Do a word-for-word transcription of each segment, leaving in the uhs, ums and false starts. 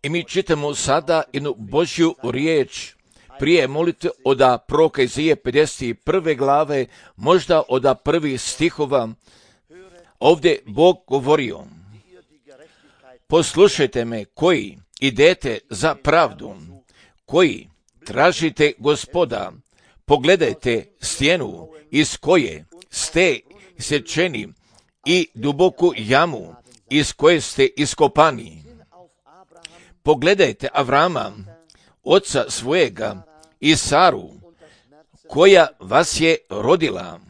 I mi čitamo sada jednu Božju riječ prije molite od proroka Izaije pedeset prve glave, možda od prvih stihova. Ovdje Bog govorio: poslušajte me koji idete za pravdu, koji tražite Gospoda, pogledajte stijenu iz koje ste isečeni i duboku jamu iz koje ste iskopani. Pogledajte Avrama, oca svojega, i Saru, koja vas je rodila.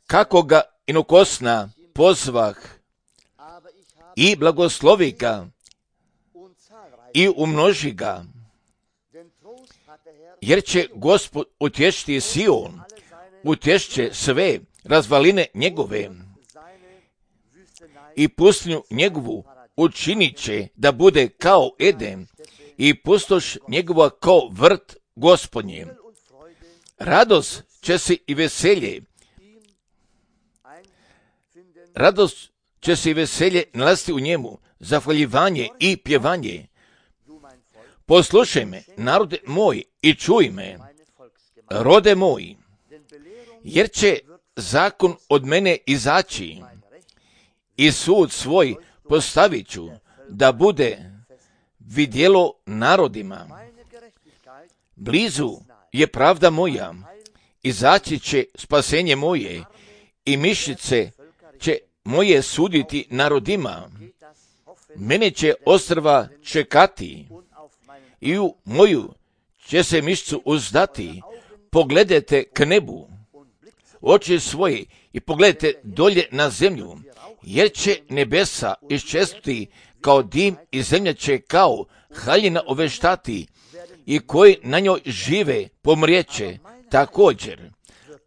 Kako ga inokosna pozvah i blagoslovi ga i umnoži ga, jer će Gospod utješiti Sion, utješće sve razvaline njegove i pustinju njegovu učinit će da bude kao Eden i pustoš njegova kao vrt Gospodnje. Radost će se i veselje, radost će se i veselje nalaziti u njemu, zahvaljivanje i pjevanje. Poslušaj me, narode moj, i čuj me, rode moj, jer će zakon od mene izaći i sud svoj postavit ću da bude vidjelo narodima. Blizu je pravda moja, izaći će spasenje moje i mišice će moje suditi narodima. Mene će ostrva čekati i u moju će se mišicu uzdati. Pogledajte k nebu, oči svoje, i pogledajte dolje na zemlju, jer će nebesa iščestuti kao dim i zemlja će kao haljina oveštati, i koji na njoj žive pomrijeće također,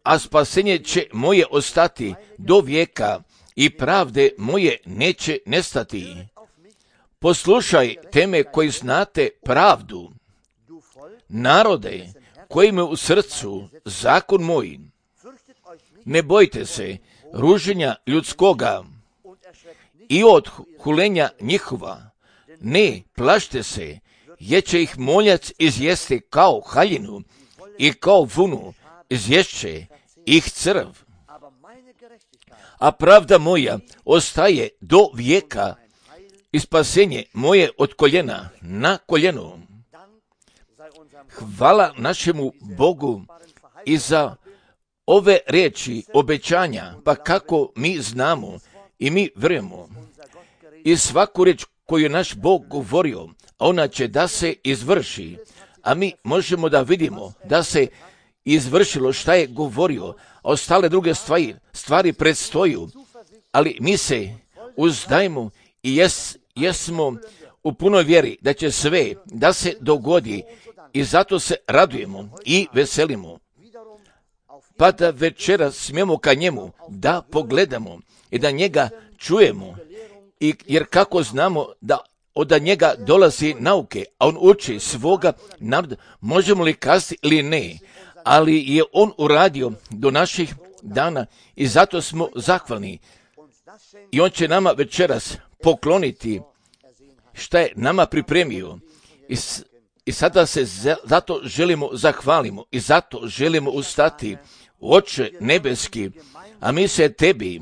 a spasenje će moje ostati do vijeka i pravde moje neće nestati. Poslušaj teme koji znate pravdu, narode koji me u srcu zakon moj. Ne bojte se ruženja ljudskoga i od hulenja njihova. Ne plašte se, jer će ih moljac izjesti kao haljinu i kao vunu izješće ih crv. A pravda moja ostaje do vijeka i spasenje moje od koljena na koljenu. Hvala našemu Bogu i za ove riječi obećanja, pa kako mi znamo i mi vjerujemo. I svaku riječ koju je naš Bog govorio, ona će da se izvrši, a mi možemo da vidimo da se izvršilo šta je govorio, a ostale druge stvari, stvari predstoju, ali mi se uzdajemo i jes, jesmo u punoj vjeri da će sve da se dogodi i zato se radujemo i veselimo. Pa da večera smijemo ka njemu da pogledamo i da njega čujemo, i, jer kako znamo da od njega dolazi nauke, a on uči svoga naroda, možemo li kazati ili ne, ali je on uradio do naših dana i zato smo zahvalni. I on će nama večeras pokloniti šta je nama pripremio. I, i sada se zato želimo zahvalimo i zato želimo ustati. Oče nebeski, a mi se tebi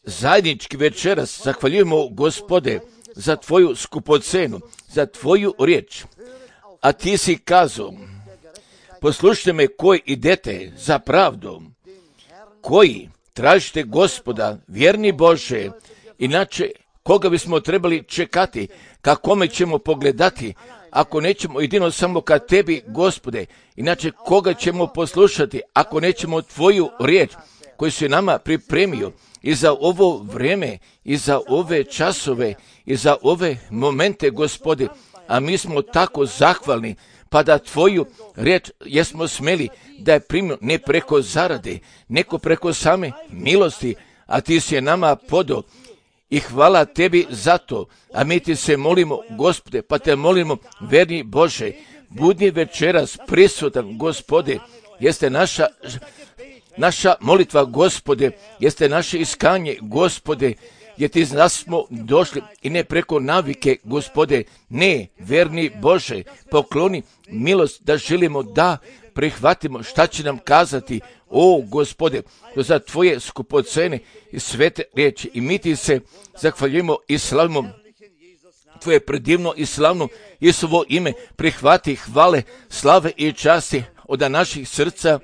zajednički večeras zahvaljujemo, Gospode, za tvoju skupocenu, za tvoju riječ. A ti si kazao, poslušajte me koji idete za pravdom, koji tražite Gospoda, vjerni Bože, inače koga bismo trebali čekati, ka kome ćemo pogledati, ako nećemo jedino samo ka tebi, Gospode, inače koga ćemo poslušati, ako nećemo tvoju riječ koju si nama pripremio i za ovo vrijeme, i za ove časove, i za ove momente, Gospode, a mi smo tako zahvalni, pa da tvoju riječ jesmo smeli da je primio ne preko zarade, neko preko same milosti, a ti si je nama podao. I hvala tebi za to, a mi ti se molimo, Gospode, pa te molimo, verni Bože, budi večeras prisutan, Gospode, jeste naša, naša molitva, Gospode, jeste naše iskanje, Gospode, jer ti znaš smo došli i ne preko navike, Gospode, ne, verni Bože, pokloni milost da želimo da prihvatimo šta će nam kazati, o Gospode, za Tvoje skupocene i svete riječi. I mi ti se zahvaljujemo i slavimo Tvoje predivno i slavno Isusovo ime. Prihvati hvale, slave i časti od naših srca.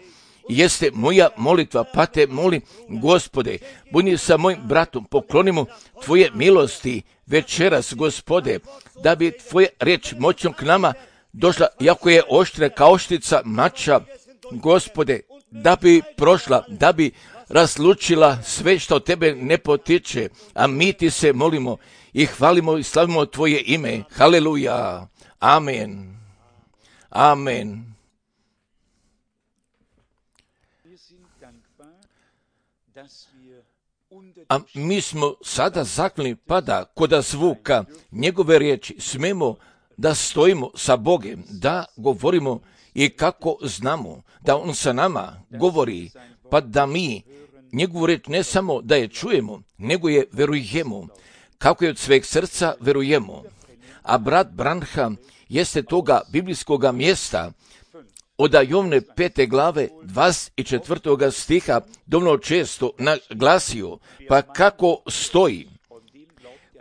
Jeste moja molitva, pa te molim, Gospode, budi sa mojim bratom, poklonimo Tvoje milosti večeras, Gospode, da bi Tvoja riječ moćom k nama došla, jako je oštra kao oštrica mača, Gospode, da bi prošla, da bi razlučila sve što od Tebe ne potiče, a mi ti se molimo i hvalimo i slavimo Tvoje ime. Haleluja. Amen. Amen. A mi smo sada zahvalni pa da kod zvuka njegove riječi smemo da stojimo sa Bogom, da govorimo i kako znamo da On sa nama govori, pa da mi njegovu riječ ne samo da je čujemo, nego je verujemo, kako je od sveg srca verujemo. A brat Branham jeste toga biblijskoga mjesta od Jovne pete glave dvadeset četvrtoga stiha dovoljno često naglasio, pa kako stoji: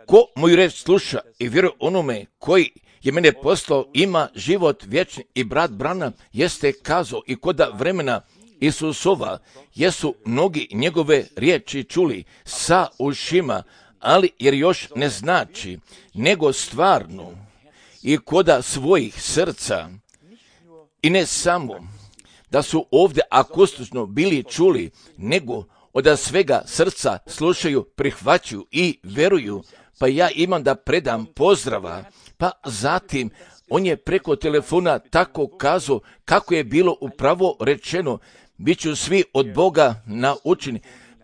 ko moju reč sluša i vjeruje onome koji je mene poslao, ima život vječni. I brat Branham jeste kazao i koda vremena Isusova jesu mnogi njegove riječi čuli sa ušima, ali jer još ne znači, nego stvarno i koda svojih srca. I ne samo da su ovdje akustično bili čuli, nego od svega srca slušaju, prihvaćaju i veruju. Pa ja imam da predam pozdrava, pa zatim on je preko telefona tako kazao kako je bilo upravo rečeno, bit ću svi od Boga naučeni.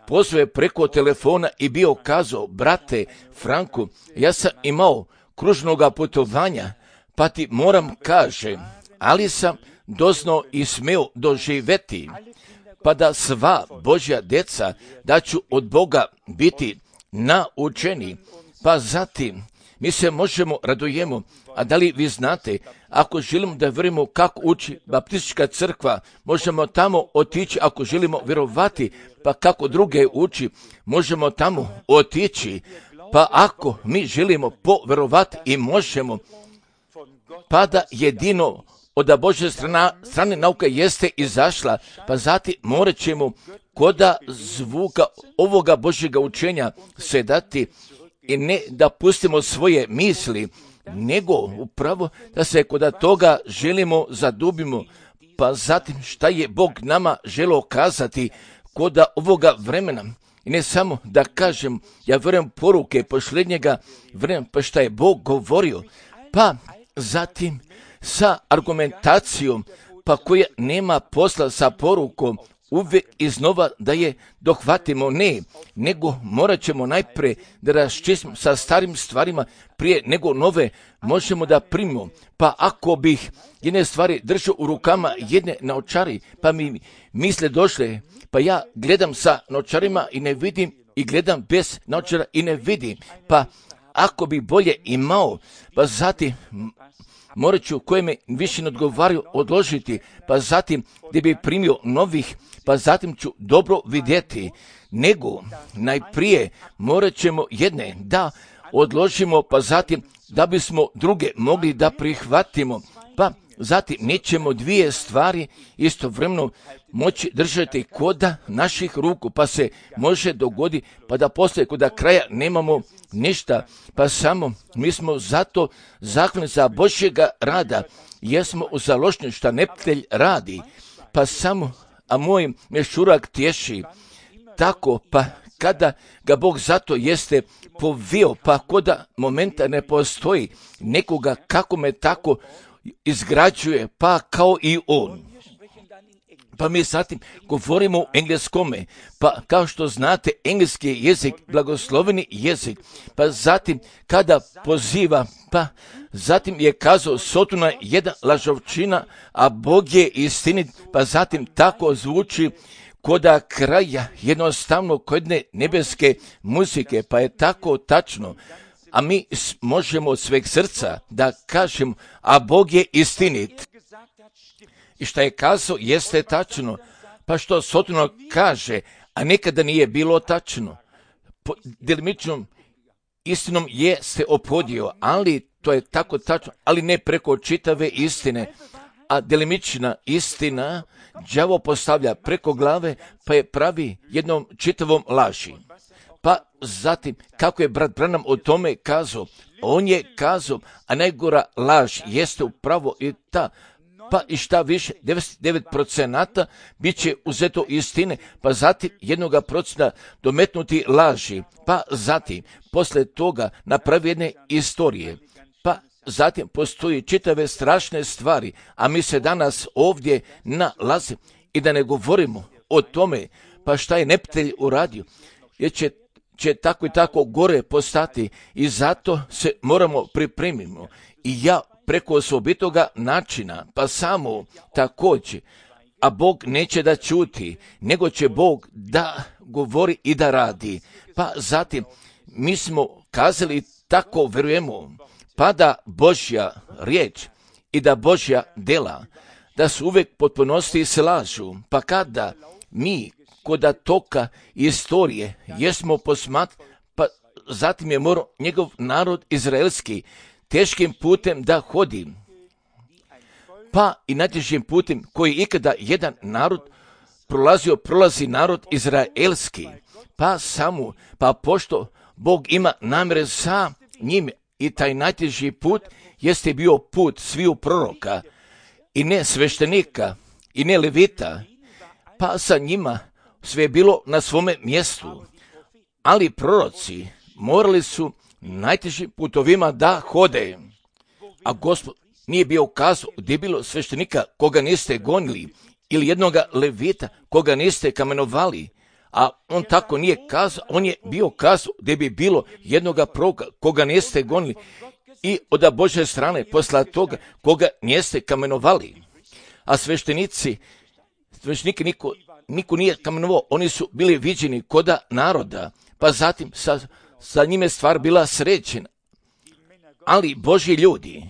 Pozvao je preko telefona i bio kazao: brate Franku, ja sam imao kružnoga putovanja, pa ti moram kaže, ali sam doznao i smeo doživjeti, pa da sva Božja djeca da ću od Boga biti naučeni. Pa zatim mi se možemo radujemo. A da li vi znate, ako želimo da vjerujemo kako uči Baptistička crkva, možemo tamo otići. Ako želimo vjerovati pa kako druge uči, možemo tamo otići. Pa ako mi želimo povjerovati i možemo, pa da jedino od Božje strana, strane nauka jeste izašla, pa zatim morat ćemo koda zvuka ovoga Božjega učenja se dati i ne da pustimo svoje misli, nego upravo da se kod toga želimo zadubimo, pa zatim šta je Bog nama želio kazati kod ovoga vremena. I ne samo da kažem, ja vjerujem poruke posljednjega vremena, pa šta je Bog govorio, pa zatim sa argumentacijom, pa koja nema posla sa porukom, uvijek iznova da je dohvatimo, ne, nego morat ćemo najprije da raščistimo sa starim stvarima prije nego nove možemo da primimo. Pa ako bih jedne stvari držao u rukama, jedne naočari, pa mi misle došle, pa ja gledam sa naočarima i ne vidim, i gledam bez naočara i ne vidim, pa ako bi bolje imao, pa zatim morat ću koje me više ne odgovaraju odložiti, pa zatim gdje bi primio novih, pa zatim ću dobro vidjeti, nego najprije morat ćemo jedne da odložimo, pa zatim da bismo druge mogli da prihvatimo, pa zatim nećemo dvije stvari istovremeno moći držati koda naših ruku, pa se može dogoditi pa da poslije koda kraja nemamo ništa, pa samo mi smo zato zahvalni za Božjega rada, jesmo u založnju šta neprijatelj radi, pa samo, a moj mešurak tješi, tako pa kada ga Bog zato jeste povio, pa koda momenta ne postoji nekoga kako me tako izgrađuje, pa kao i on. Pa mi zatim govorimo u engleskome, pa kao što znate engleski je jezik, blagosloveni jezik, pa zatim kada poziva, pa zatim je kazao Sotona jedna lažovčina, a Bog je istinit, pa zatim tako zvuči koda kraja, jednostavno kod jedne nebeske muzike, pa je tako tačno. A mi možemo od sveg srca da kažemo, a Bog je istinit. I šta je kazao, jeste tačno. Pa što Sotno kaže, a nekada nije bilo tačno. Po delimičnom istinom je se ophodio, ali to je tako tačno, ali ne preko čitave istine. A delimična istina đavo postavlja preko glave, pa je pravi jednom čitavom laži. Pa zatim, kako je brat Branham o tome kazao, on je kazao, a najgora laž jeste upravo i ta, pa i šta više, devedeset devet procenata bit će uzeto istine, pa zatim jednoga procenta dometnuti laži, pa zatim, posle toga napravi jedne istorije, pa zatim postoji čitave strašne stvari, a mi se danas ovdje nalazimo i da ne govorimo o tome, pa šta je neprijatelj uradio, jer će će tako i tako gore postati i zato se moramo pripremimo. I ja preko osobitoga načina, pa samo također, a Bog neće da ćuti, nego će Bog da govori i da radi. Pa zatim, mi smo kazali tako vjerujemo, pa da Božja riječ i da Božja dela, da su uvijek potpunosti i slažu, pa kada mi koda toka istorije jesmo posmat, pa zatim je morao njegov narod izraelski teškim putem da hodi, pa i najtežim putem koji ikada jedan narod prolazio, prolazi narod izraelski, pa samo, pa pošto Bog ima namere sa njim i taj najteži put jeste bio put sviju proroka i ne sveštenika i ne levita, pa sa njima sve je bilo na svome mjestu, ali proroci morali su najtežim putovima da hode, a Gospod nije bio kazao gdje je bilo sveštenika koga niste gonili ili jednoga levita koga niste kamenovali, a on tako nije kazao, on je bio kazao gdje bi bilo jednoga proroka koga niste gonili i od Božje strane posla toga koga niste kamenovali, a sveštenici, sveštenike niko Niko nije kamenovao, oni su bili viđeni koda naroda, pa zatim sa, sa njime stvar bila sređena. Ali Božji ljudi,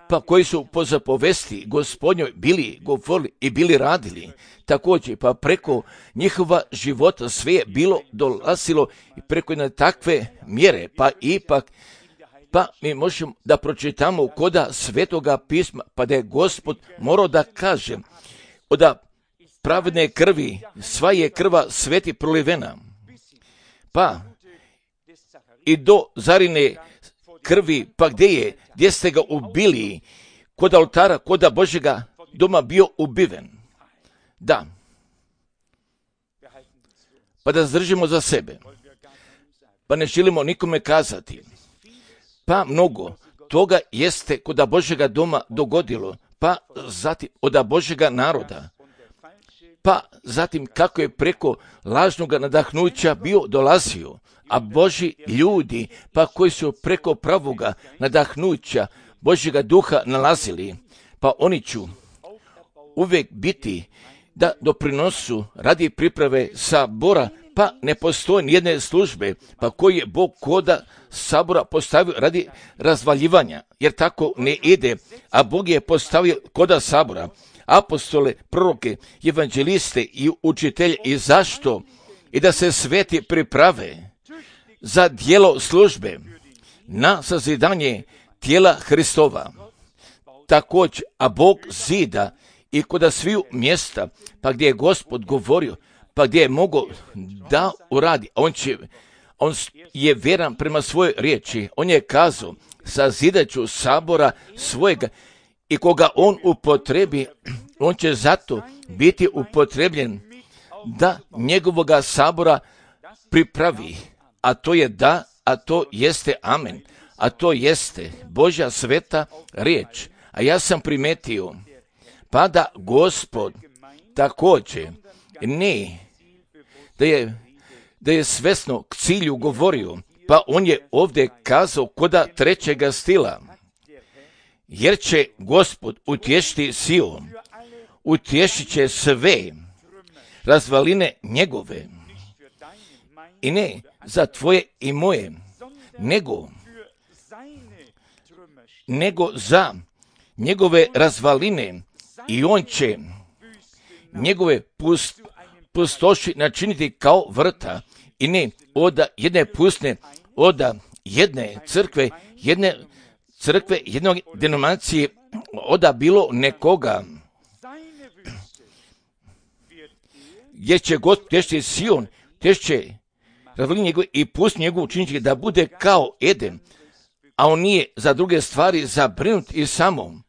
pa koji su po zapovesti Gospodnjoj bili govorili i bili radili, također pa preko njihova života sve je bilo dolazilo i preko jedne takve mjere, pa ipak, pa mi možemo da pročitamo koda Svetoga pisma, pa da je Gospod morao da kaže, oda pravedne krvi, sva je krva sveti prolivena. Pa i do Zarine krvi, pa gdje je, gdje ste ga ubili, kod oltara, kod Božjega doma bio ubiven. Da. Pa da zdržimo za sebe. Pa ne želimo nikome kazati. Pa mnogo toga jeste kod Božjega doma dogodilo, pa zatim od Božjega naroda. Pa zatim kako je preko lažnog nadahnuća bio dolazio, a Božji ljudi, pa koji su preko pravoga nadahnuća Božjega duha nalazili, pa oni će uvijek biti da doprinosu radi priprave sabora, pa ne postoji nijedne službe, pa koji je Bog koda sabora postavio radi razvaljivanja, jer tako ne ide, a Bog je postavio koda sabora apostole, proroke, evanđeliste i učitelje. I zašto? I da se sveti priprave za djelo službe na sazidanje tijela Hristova. Također, a Bog zida i kod sviju mjesta, pa gdje je Gospod govorio, pa gdje je mogao da uradi. On, će, on je vjeran prema svojoj riječi. On je kazao, sazidat ću sabora svojega, i koga on upotrebi, on će zato biti upotrebljen da njegovoga sabora pripravi. A to je da, a to jeste amen. A to jeste Božja sveta riječ. A ja sam primetio, pa da Gospod također ne, da je, da je svesno k cilju govorio, pa on je ovdje kazao koda trećega stila. Jer će Gospod utješiti Sion, utješit će sve razvaline njegove. I ne za tvoje i moje, nego, nego za njegove razvaline, i on će njegove pust, pustoši načiniti kao vrta, i ne od jedne pustne, od jedne crkve, jedne crkve, jednog denominacije, od bilo nekoga, gdje će Gospod tešće Sion, tešće razvaline njegove i pust njegovu učiniti da bude kao Eden, a on nije za druge stvari zabrinut i samo,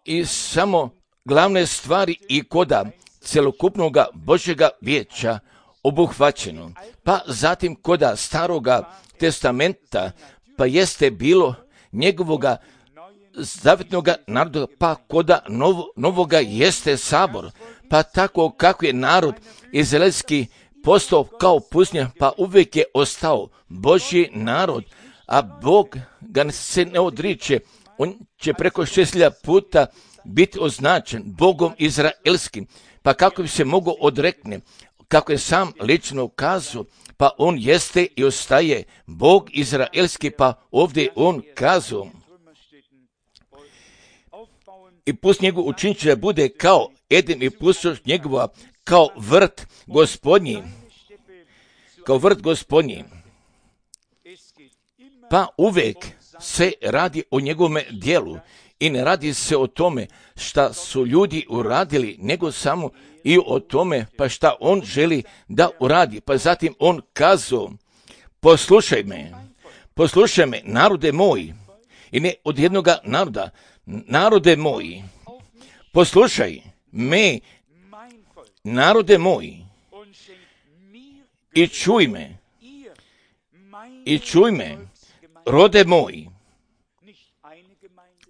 i samo glavne stvari i koda celokupnog Božjega vijeća obuhvaćeno. Pa zatim koda Staroga testamenta, pa jeste bilo njegovoga zavjetnoga naroda, pa koda novo, novoga jeste sabor, pa tako kako je narod izraelski postao kao pustinja, pa uvijek je ostao Božji narod, a Bog ga se ne odriče. On će preko šest hiljada puta biti označen Bogom izraelskim, pa kako bi se mogao odrekne, kako je sam lično kazao, pa on jeste i ostaje Bog izraelski, pa ovdje on kazao. I pust njegov učinit će da bude kao Eden i pustoš njegova, kao vrt gospodnji, kao vrt gospodnji. Pa uvijek se radi o njegovome dijelu i ne radi se o tome šta su ljudi uradili, nego samo i o tome pa šta on želi da uradi. Pa zatim on kazao, poslušaj me, poslušaj me, narode moji, i ne od jednoga naroda, narode moji, poslušaj me, narode moji, i čuj me, i čuj me, rode moji,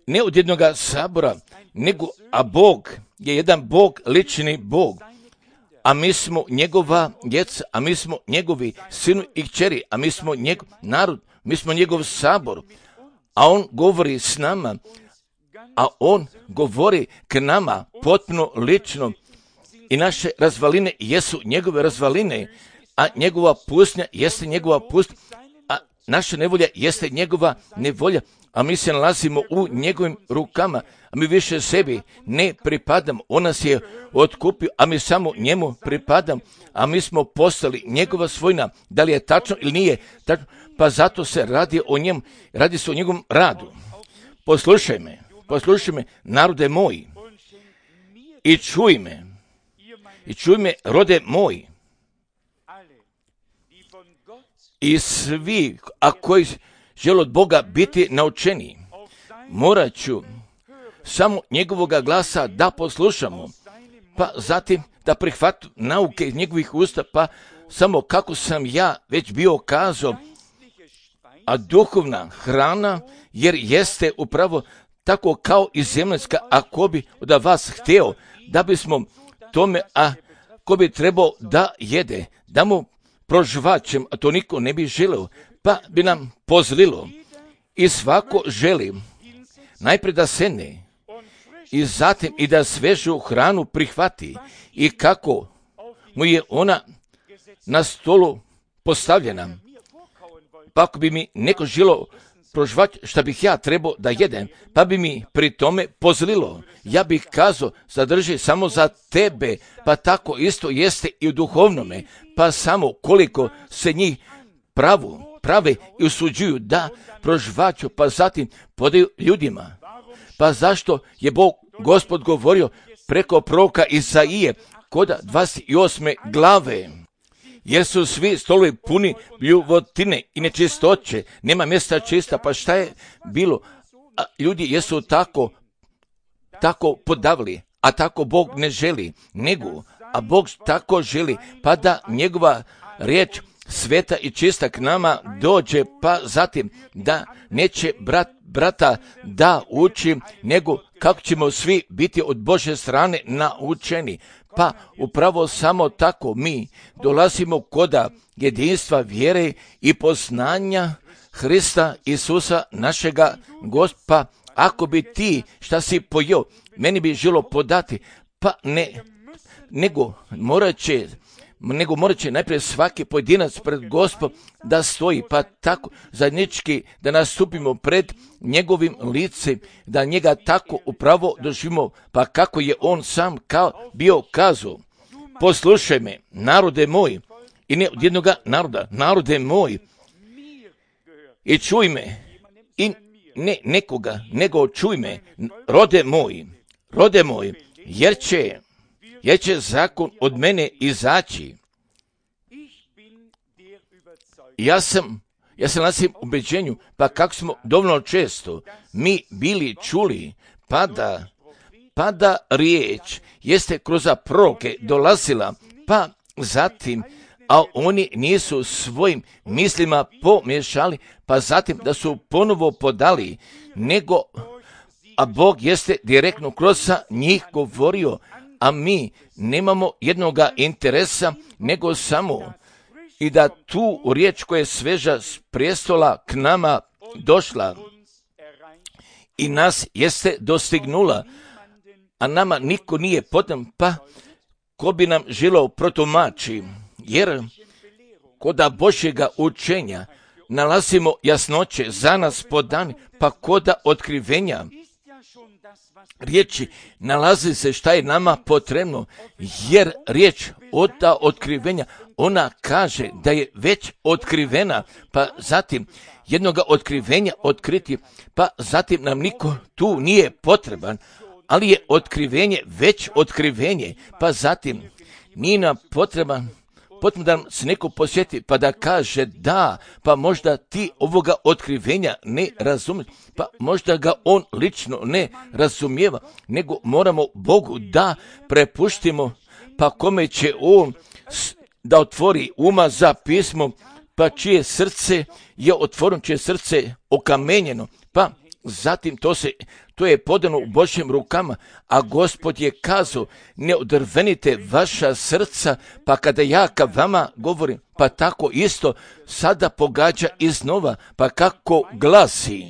ne od jednoga sabora, nego, a Bog je jedan Bog, lični Bog, a mi smo njegova djeca, a mi smo njegovi sinu i kćeri, a mi smo njegov narod, mi smo njegov sabor, a on govori s nama, a on govori k nama potpuno lično, i naše razvaline jesu njegove razvaline, a njegova pustinja jeste njegova pustinja, a naša nevolja jeste njegova nevolja, a mi se nalazimo u njegovim rukama, a mi više sebi ne pripadamo. On nas je otkupio, a mi samo njemu pripadamo, a mi smo postali njegova svojina. Da li je tačno ili nije tačno? Pa zato se radi o njemu, radi se o njegovom radu. Poslušaj me, poslušaj me, narode moji, i čuj me, i čuj me, rode moji, i svi, a koji žele od Boga biti naučeni, morat ću samo njegovoga glasa da poslušamo, pa zatim da prihvatu nauke iz njegovih usta, pa samo kako sam ja već bio kazao, a duhovna hrana, jer jeste upravo tako kao i zemaljska, ako bi od vas htio da bismo tome, a ko bi trebao da jede, da mu prožvačem, a to niko ne bi želeo, pa bi nam pozlilo. I svako želi najprije da sedne i zatim i da svežu hranu prihvati, i kako mu je ona na stolu postavljena. Pa ako bi mi neko želo prožvati šta bih ja trebao da jedem, pa bi mi pri tome pozlilo. Ja bih kazao, zadrži samo za tebe, pa tako isto jeste i u duhovnome, pa samo koliko se njih pravu, prave i usuđuju da prožvaću, pa zatim podaju ljudima. Pa zašto je Bog, Gospod, govorio preko proroka Isaije kod dvadeset osme glave? Jer su svi stolovi puni bljuvotine i nečistoće, nema mjesta čista, pa šta je bilo? A ljudi jesu tako, tako podavili, a tako Bog ne želi, nego, a Bog tako želi, pa da njegova riječ sveta i čista k nama dođe, pa zatim da neće brat, brata da uči, nego kako ćemo svi biti od Božje strane naučeni. Pa upravo samo tako mi dolazimo koda jedinstva vjere i poznanja Hrista Isusa našega Gospa. Ako bi ti šta si pojeo, meni bi želo podati, pa ne nego morat će, nego morat će najprije svaki pojedinac pred Gospodom da stoji, pa tako zajednički da nastupimo pred njegovim licem, da njega tako upravo doživimo, pa kako je on sam kao bio kazao. Poslušaj me, narode moj, i ne od jednoga naroda, narode moj, i čuj me, i ne nekoga, nego čuj me, rode moj, rode moj, jer će, jer će zakon od mene izaći. Ja sam, ja sam na svim ubeđenju, pa kako smo dovoljno često mi bili čuli, pa da, pa da riječ jeste kroz proroke dolazila, pa zatim, a oni nisu svojim mislima pomiješali, pa zatim da su ponovo podali, nego, a Bog jeste direktno kroz njih govorio, a mi nemamo jednoga interesa, nego samo i da tu riječ koja je sveža s prijestola k nama došla i nas jeste dostignula, a nama niko nije potreban, pa ko bi nam želeo protumači, jer koda Božjega učenja nalazimo jasnoće za nas podani, pa koda otkrivenja riječi nalazi se šta je nama potrebno, jer riječ od ta otkrivenja, ona kaže da je već otkrivena, pa zatim jednoga otkrivenja otkriti, pa zatim nam niko tu nije potreban, ali je otkrivenje već otkrivenje, pa zatim nije nam potreban potrebno da nam se neko posjeti pa da kaže da, pa možda ti ovoga otkrivenja ne razumiješ, pa možda ga on lično ne razumijeva, nego moramo Bogu da prepuštimo, pa kome će on da otvori uma za pismo, pa čije srce je otvoreno, čije srce okamenjeno, pa zatim to se to je podano u Božjim rukama, a Gospod je kazao, ne odrvenite vaša srca, pa kada ja ka vama govorim, pa tako isto sada pogađa iznova, pa kako glasi.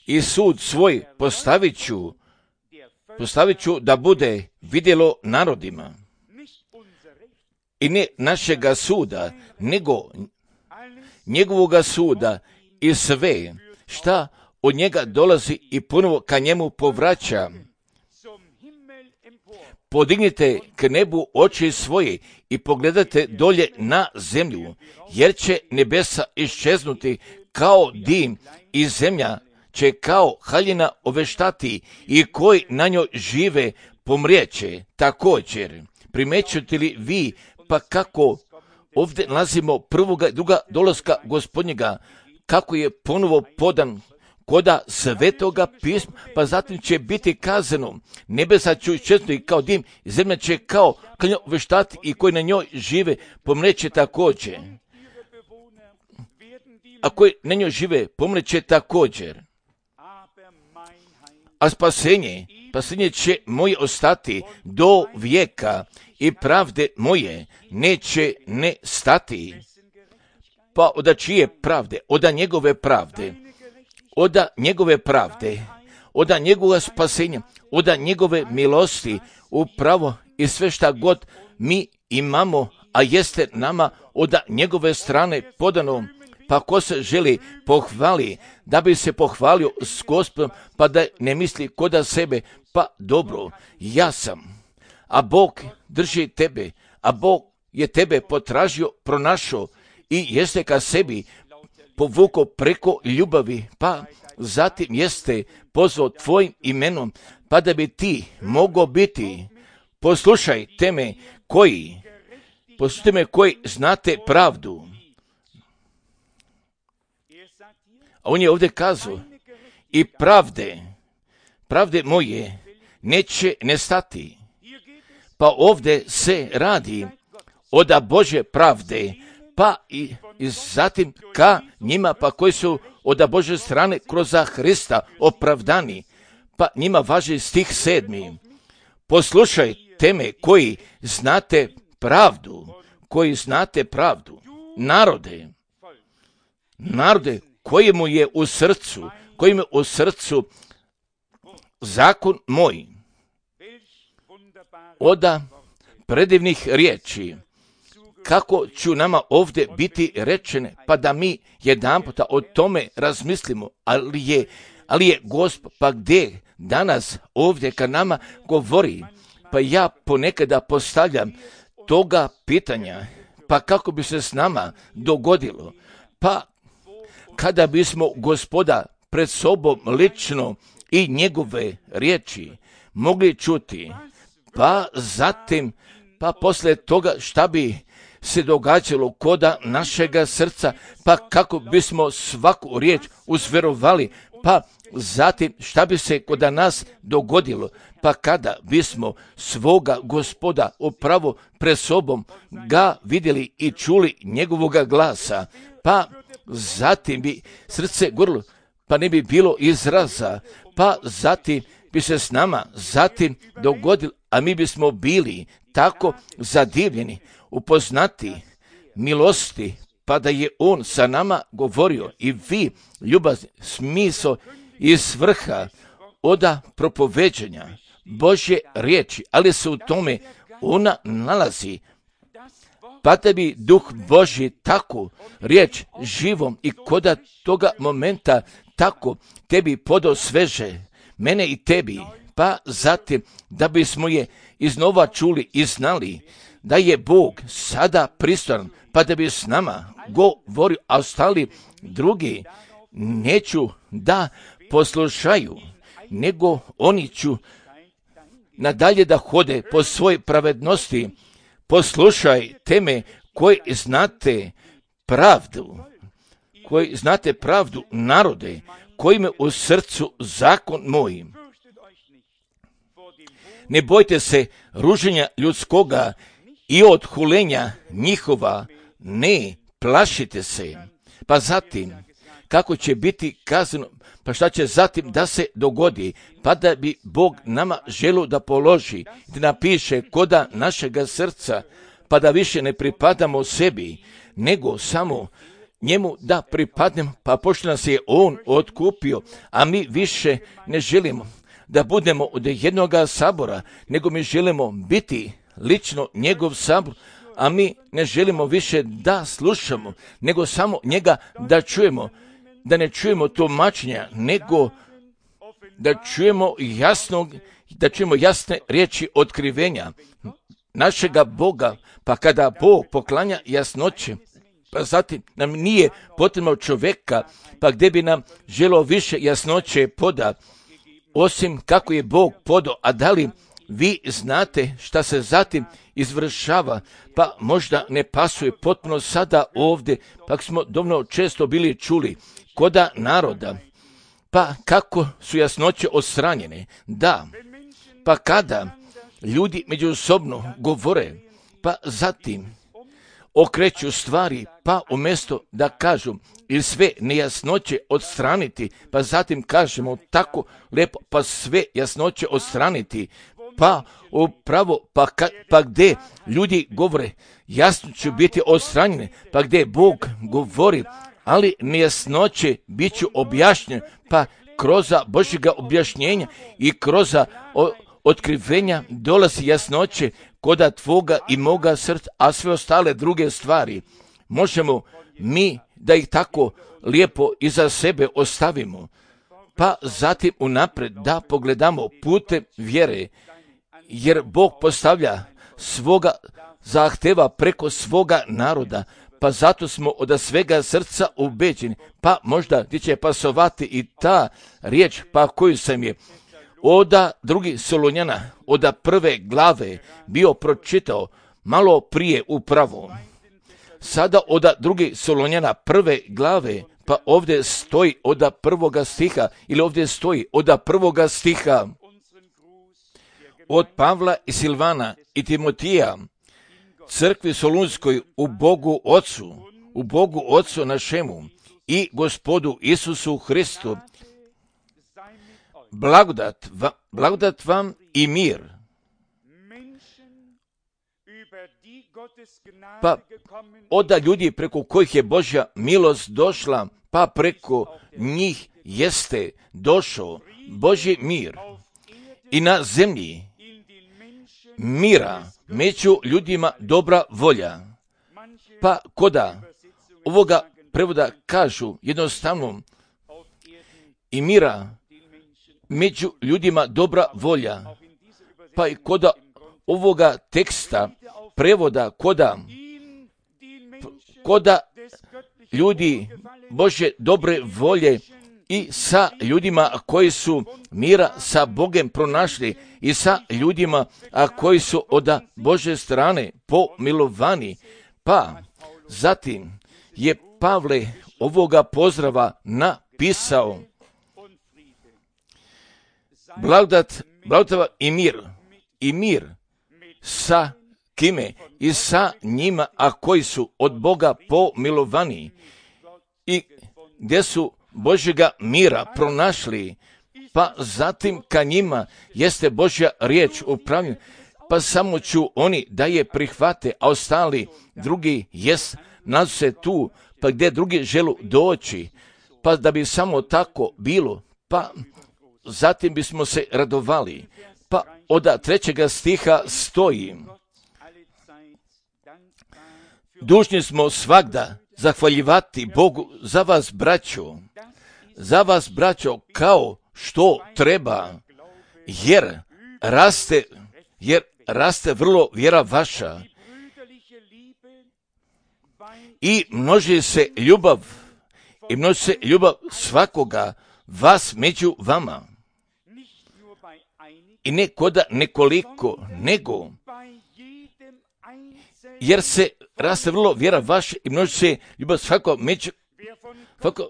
I sud svoj postavit ću, postavit ću da bude vidjelo narodima. I ne našega suda, nego njegovoga suda i sve, šta od njega dolazi i ponovo ka njemu povraća. Podignite k nebu oči svoje i pogledajte dolje na zemlju, jer će nebesa iščeznuti kao dim i zemlja će kao haljina oveštati i koji na njoj žive pomrijeće. Također, primećujete li vi pa kako ovdje nalazimo prvoga i druga dolaska Gospodnjega, kako je ponovo podan koda svetoga pisma, pa zatim će biti kazano, nebesa će iščeznuti kao dim, zemlja će kao haljina oveštati i koji na njoj žive pomrijeće također. A koji na njoj žive pomrijeće također. A spasenje, spasenje će moje ostati do vijeka i pravde moje neće ne stati. Pa oda čije pravde? Oda njegove pravde. Oda njegove pravde. Oda njegova spasenja. Oda njegove milosti. Upravo i sve šta god mi imamo, a jeste nama oda njegove strane podano. Pa ko se želi pohvali, da bi se pohvalio s Gospodom, pa da ne misli koda sebe, pa dobro, ja sam, a Bog drži tebe, a Bog je tebe potražio, pronašao i jeste ka sebi povukao preko ljubavi, pa zatim jeste pozvao tvojim imenom, pa da bi ti mogao biti. Poslušajte me koji, poslušajte me koji znate pravdu. A on je ovdje kazao, i pravde, pravde moje neće nestati. Pa ovdje se radi oda Božje pravde, pa i, i zatim ka njima, pa koji su oda Božje strane kroz Hrista opravdani, pa njima važi stih sedmi. Poslušajte me koji znate pravdu, koji znate pravdu, narode, narode, kojemu je u srcu, kojemu je u srcu zakon moj. oda predivnih riječi, kako ću nama ovdje biti rečene, pa da mi jedanputa o tome razmislimo, ali je, ali je Gospod, pa gdje danas ovdje kad nama govori, pa ja ponekada postavljam toga pitanja, pa kako bi se s nama dogodilo, pa kada bismo Gospoda pred sobom lično i njegove riječi mogli čuti, pa zatim, pa poslije toga šta bi se događalo koda našega srca, pa kako bismo svaku riječ uzverovali, pa zatim šta bi se koda nas dogodilo, pa kada bismo svoga Gospoda upravo pred sobom ga vidjeli i čuli njegovoga glasa, pa zatim bi srce gorilo, pa ne bi bilo izraza, pa zatim bi se s nama zatim dogodilo, a mi bismo bili tako zadivljeni, upoznati milosti, pa da je on sa nama govorio i vi, ljubazni, smisao i svrha oda propoveđanja Božje riječi, ali se u tome ona nalazi, pa da bi Duh Božji tako riječ živom i koda toga momenta tako tebi podao sveže, mene i tebi, pa zatim da bismo je iznova čuli i znali da je Bog sada pristojan, pa da bi s nama govorio, a ostali drugi neću da poslušaju, nego oni ću nadalje da hode po svojoj pravednosti. Poslušaj teme koji znate pravdu, koji znate pravdu narode, koji me u srcu zakon moj. Ne bojte se ruženja ljudskoga i odhulenja njihova, ne plašite se. Pa zatim, kako će biti kazano, pa šta će zatim da se dogodi, pa da bi Bog nama želio da položi, da napiše koda našega srca, pa da više ne pripadamo sebi, nego samo njemu da pripadnemo, pa pošto nas je on otkupio, a mi više ne želimo da budemo od jednoga sabora, nego mi želimo biti lično njegov sabor, a mi ne želimo više da slušamo, nego samo njega da čujemo, da ne čujemo tumačenja, nego da čujemo jasnog, da čujemo jasne riječi otkrivenja našega Boga, pa kada Bog poklanja jasnoće, pa zatim nam nije potrebno čovjeka, pa gdje bi nam želo više jasnoće poda, osim kako je Bog podao, a da li vi znate šta se zatim izvršava, pa možda ne pasuje potpuno sada ovdje, pa smo dovoljno često bili čuli koda naroda, pa kako su jasnoće odstranjene, da, pa kada ljudi međusobno govore, pa zatim okreću stvari, pa umjesto da kažu ili sve nejasnoće odstraniti, pa zatim kažemo tako lijepo, pa sve jasnoće odstraniti, pa upravo, pa, ka, pa gdje ljudi govore, jasno će biti odstranjene, pa gdje Bog govori, ali nejasnoće bit će objašnjene, pa kroz Božjega objašnjenja i kroz otkrivenja dolazi jasnoće koda tvoga i moga srca, a sve ostale druge stvari možemo mi da ih tako lijepo iza sebe ostavimo, pa zatim unaprijed da pogledamo putem vjere, jer Bog postavlja svoga zahteva preko svoga naroda, pa zato smo od svega srca ubeđeni, pa možda ti će pasovati i ta riječ, pa koju sam je oda drugi Solunjana, oda prve glave bio pročitao malo prije upravo. Sada oda drugi Solunjana prve glave, pa ovdje stoji oda prvoga stiha, ili ovdje stoji oda prvoga stiha od Pavla i Silvana i Timotija, crkvi Solunskoj u Bogu Otcu, u Bogu Otcu našemu i Gospodu Isusu Hristu, blagodat, va, blagodat vam i mir. Pa oda ljudi preko kojih je Božja milost došla, pa preko njih jeste došao Božji mir i na zemlji mira, među ljudima dobra volja. Pa koda ovoga prevoda kažu jednostavno i mira među ljudima dobra volja. Pa i koda ovoga teksta prevoda koda koda ljudi Božje dobre volje i sa ljudima koji su mira sa Bogem pronašli i sa ljudima a koji su od Božje strane pomilovani. Pa zatim je Pavle ovoga pozdrava napisao blagodat, blagodat i mir, i mir sa kime? I sa njima, a koji su od Boga pomilovani i gdje su Božjega mira pronašli, pa zatim ka njima jeste Božja riječ upravljena, pa samo ću oni da je prihvate, a ostali drugi jest nalaze se tu, pa gdje drugi želu doći, pa da bi samo tako bilo, pa zatim bismo se radovali. Pa od trećega stiha stoji: dužni smo svagda zahvaljivati Bogu za vas, braćo, za vas, braćo, kao što treba, jer raste, jer raste vrlo vjera vaša i množi se ljubav, i množi se ljubav svakoga vas među vama. I ne koda nekoliko, nego jer se raste vrlo vjera vaša i množi se ljubav svako među svako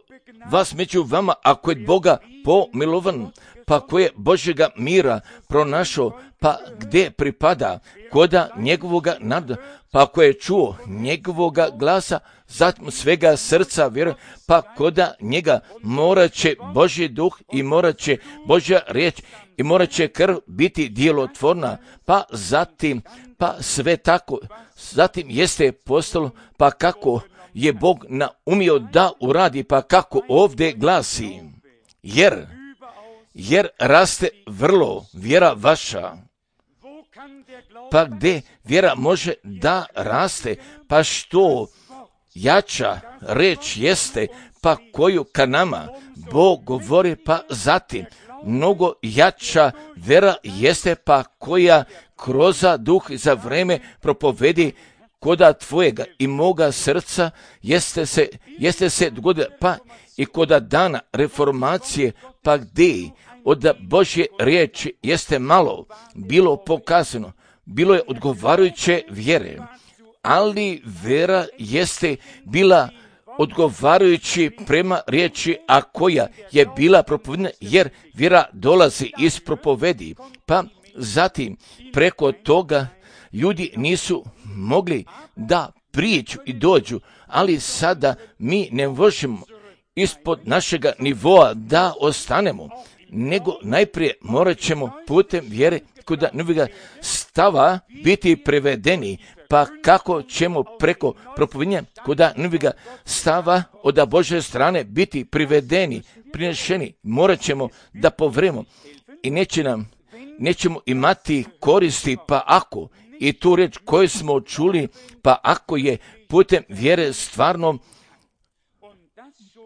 vas među vama, ako je Boga pomilovan, pa ko je Božjega mira pronašao, pa gdje pripada, koda njegovoga naroda, pa ako je čuo njegovoga glasa, zatim svega srca vjeruje, pa koda njega morat će Božji duh i morat će Božja riječ i morat će krv biti djelotvorna, pa zatim, pa sve tako, zatim jeste postalo, pa kako je Bog naumio da uradi, pa kako ovdje glasi, jer, jer raste vrlo vjera vaša. Pa gdje vjera može da raste, pa što jača reč jeste, pa koju ka nama Bog govori, pa zatim mnogo jača vjera jeste, pa koja kroz duh za vreme propovedi koda tvojega i moga srca jeste se, jeste se dogodila, pa i koda dana reformacije, pa gdje od Božje riječi jeste malo bilo pokazano, bilo je odgovarajuće vjere, ali vjera jeste bila odgovarajući prema riječi, a koja je bila propovedena, jer vjera dolazi iz propovedi, pa zatim preko toga ljudi nisu mogli da prijeđu i dođu, ali sada mi ne možemo ispod našega nivoa da ostanemo, nego najprije morat ćemo putem vjere kod novega stava biti prevedeni, pa kako ćemo preko propovedanja kod novega stava od Božje strane biti privedeni, prinešeni, morat ćemo da povremo i neće nam, nećemo imati koristi, pa ako i tu reč koju smo čuli, pa ako je putem vjere stvarno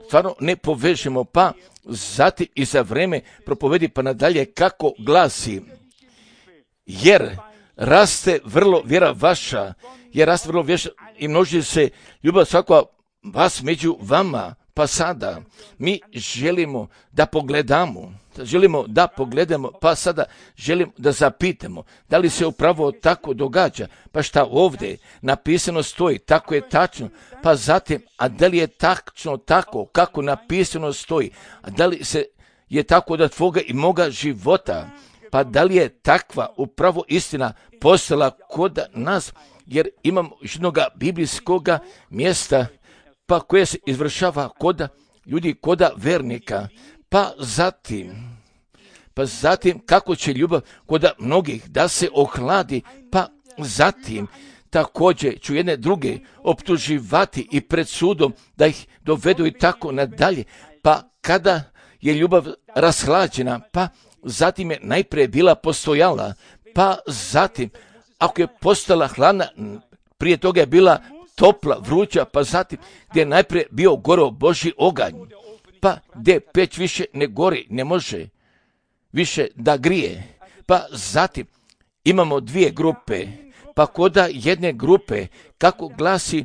stvarno ne povežemo, pa zatim i za vreme propovedi pa nadalje kako glasi, jer raste vrlo vjera vaša, jer raste vrlo vjera i množi se ljubav svakova vas među vama, pa sada mi želimo da pogledamo, želimo da pogledamo, pa sada želimo da zapitamo, da li se upravo tako događa, pa šta ovdje napisano stoji, tako je tačno, pa zatim, a da li je tačno tako kako napisano stoji, a da li se je tako da tvoga i moga života, pa da li je takva upravo istina postala kod nas, jer imamo jednoga biblijskoga mjesta, pa koje se izvršava kod ljudi, kod vernika, pa zatim, pa zatim kako će ljubav kod mnogih da se ohladi, pa zatim također ću jedne druge optuživati i pred sudom da ih dovedu i tako nadalje, pa kada je ljubav rashlađena, pa zatim je najprije bila postojala, pa zatim, ako je postala hladna, prije toga je bila topla, vruća, pa zatim gdje je najprije bio goro Božji oganj, pa gdje peć više ne gori, ne može više da grije. Pa zatim imamo dvije grupe, pa koda jedne grupe, kako glasi,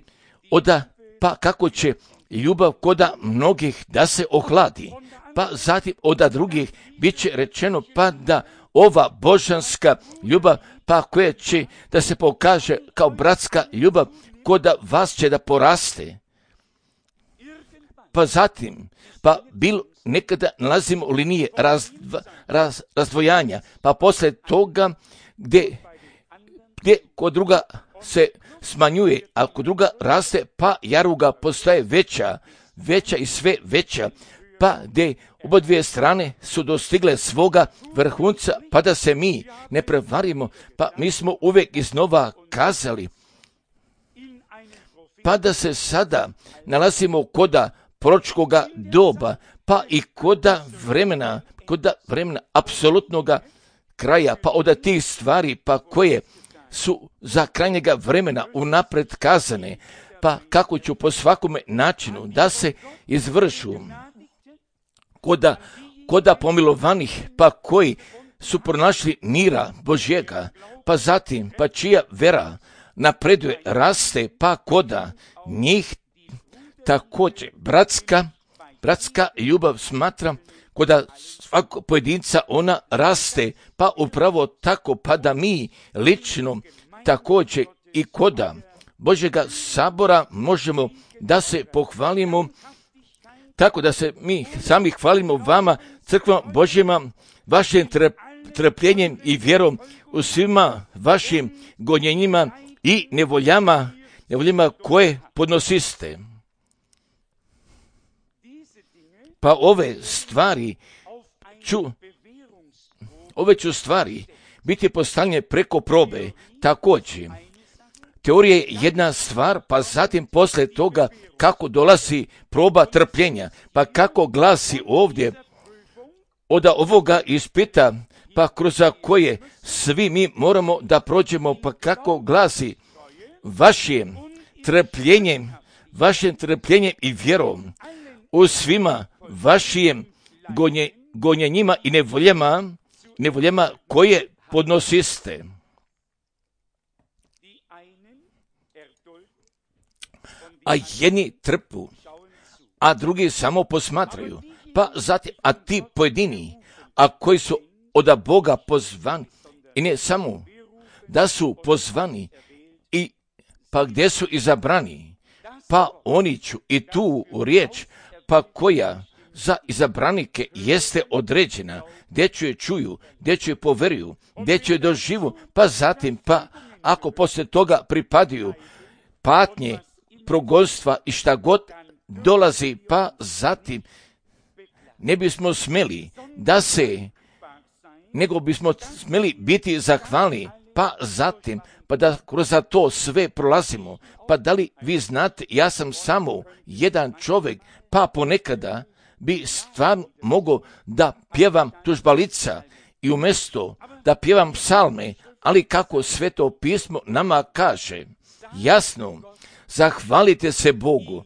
oda, pa kako će ljubav koda mnogih da se ohladi, pa zatim oda drugih bit će rečeno pa da ova božanska ljubav, pa koja će da se pokaže kao bratska ljubav, koda vas će da poraste. Pa zatim, pa bilo nekada nalazimo u liniji razdva, raz, razdvojanja, pa poslije toga gdje, gdje kod druga se smanjuje, a kod druga raste, pa jaruga postaje veća, veća i sve veća, pa gdje oba dvije strane su dostigle svoga vrhunca, pa da se mi ne prevarimo, pa mi smo uvijek iznova kazali, pa da se sada nalazimo koda proročkoga doba, pa i koda vremena, koda vremena apsolutnoga kraja, pa od tih stvari, pa koje su za krajnjega vremena unapred kazane, pa kako ću po svakome načinu da se izvršu koda, koda pomilovanih, pa koji su pronašli mira Božjega, pa zatim, pa čija vera napreduje, raste, pa koda njih također bratska, bratska ljubav smatra koda svakog pojedinca ona raste, pa upravo tako, pa da mi lično također i koda Božjega sabora možemo da se pohvalimo, tako da se mi sami hvalimo vama, crkvama Božjima, vašim trpljenjem i vjerom u svima vašim gonjenjima i nevoljama, nevoljama koje podnosiste. Pa ove stvari ću, ove ću stvari biti postavljene preko probe. Također, teorija je jedna stvar, pa zatim poslije toga kako dolazi proba trpljenja, pa kako glasi ovdje od ovoga ispita, pa kroz koje svi mi moramo da prođemo, pa kako glasi vašim trpljenjem, vašim trpljenjem i vjerom u svima vašim gonje, gonjenjima i nevoljama, nevoljama koje podnosiste. A jedni trpu, a drugi samo posmatraju, pa zatim, a ti pojedini, a koji su od Boga pozvani, i ne samo da su pozvani, i pa gdje su izabrani, pa oni ću i tu riječ, pa koja za izabranike jeste određena, gdje ću je čuju, gdje ću je poveruju, gdje ću je doživu, pa zatim, pa ako poslije toga pripadaju patnje, progonstva i šta god dolazi, pa zatim ne bismo smeli da se, nego bismo smeli biti zahvalni, pa zatim, pa da kroz to sve prolazimo. Pa da li vi znate, ja sam samo jedan čovjek, pa ponekada bi stvarno mogao da pjevam tužbalica i umjesto da pjevam psalme, ali kako Sveto pismo nama kaže, jasno, zahvalite se Bogu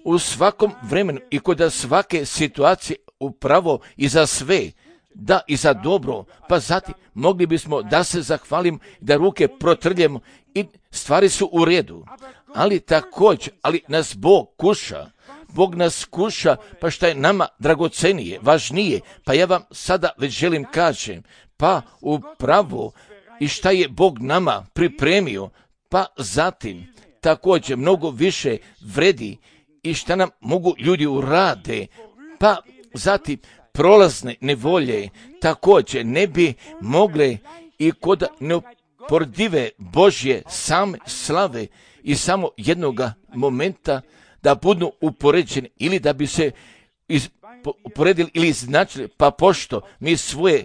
u svakom vremenu i kod svake situacije, upravo i za sve, da i za dobro, pa zatim mogli bismo da se zahvalimo, da ruke protrljemo i stvari su u redu. Ali također, ali nas Bog kuša, Bog nas kuša, pa šta je nama dragocenije, važnije, pa ja vam sada već želim kažem, pa upravo i šta je Bog nama pripremio, pa zatim također mnogo više vredi i šta nam mogu ljudi urade, pa zatim prolazne nevolje također ne bi mogle i kod neoporedive Božje same slave i samo jednoga momenta da budu upoređeni ili da bi se iz, uporedili ili iznačili, pa pošto mi svoje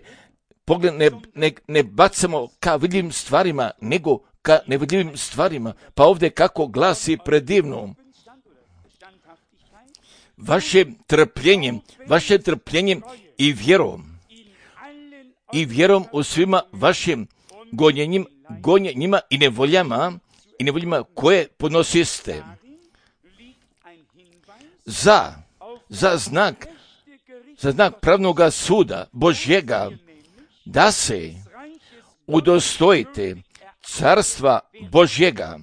pogled ne, ne, ne bacamo ka vidljivim stvarima, nego ka nevidljivim stvarima, pa ovdje kako glasi predivno, vašim trpljenjem, vašim trpljenjem i vjerom, i vjerom u svima vašim gonjenjima gonjenjima i nevoljama i nevoljima koje podnosiste. Za, za znak, za znak pravnoga suda Božjega, da se udostojite carstva Božjega,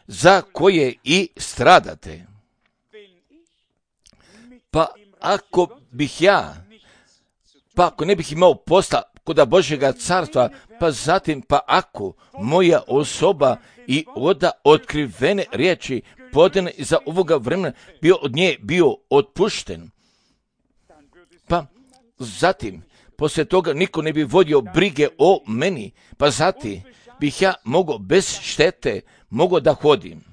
za koje i stradate. Pa ako bih ja, pa ako ne bih imao posla kod Božjega carstva, pa zatim, pa ako moja osoba i oda otkrivene riječi podane iza ovoga vremena bio od nje bio otpušten, pa zatim, poslije toga niko ne bi vodio brige o meni, pa zatim bih ja mogao bez štete mogao da hodim.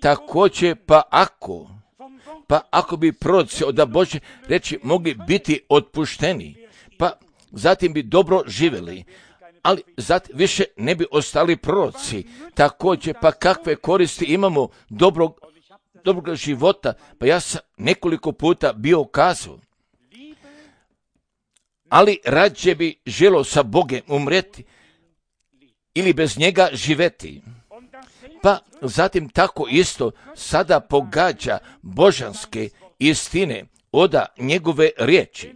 Također, pa ako, pa ako bi proroci od Božje reći mogli biti otpušteni, pa zatim bi dobro živjeli, ali zatim više ne bi ostali proroci. Također, pa kakve koristi imamo dobrog, dobrog života? Pa ja sam nekoliko puta bio kazao, ali rađe bi želo sa Bogem umreti ili bez njega živeti. Pa zatim tako isto sada pogađa božanske istine oda njegove riječi.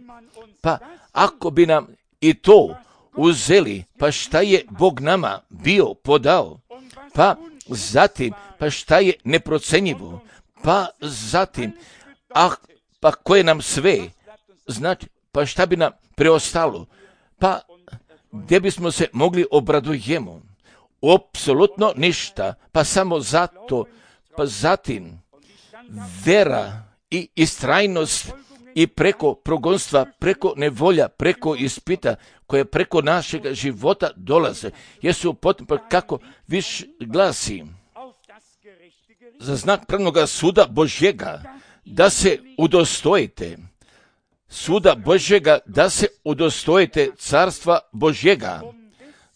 Pa ako bi nam i to uzeli, pa šta je Bog nama bio podao? Pa zatim, pa šta je neprocenjivo? Pa zatim, ah, pa koje nam sve, znači, pa šta bi nam preostalo? Pa gdje bismo se mogli obradujemo? Apsolutno ništa, pa samo zato, pa zatim vera i istrajnost i preko progonstva, preko nevolja, preko ispita koje preko našeg života dolaze, jesu potrebno kako više glasi za znak pravnoga suda Božjega, da se udostojite suda Božjega, da se udostojite carstva Božjega,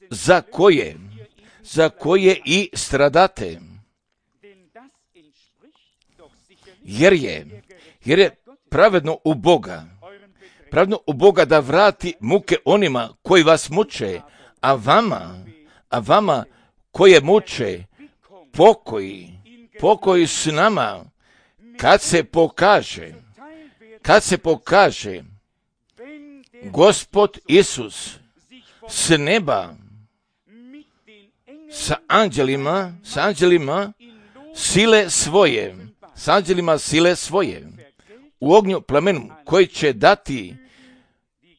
za koje za koje i stradate. Jer je, jer je pravedno u Boga, pravedno u Boga da vrati muke onima koji vas muče, a vama, a vama koje muče, pokoji, pokoji s nama, kad se pokaže, kad se pokaže Gospod Isus s neba, sa anđelima, sa anđelima sile svoje, sa anđelima sile svoje, u ognju plamenu koji će dati,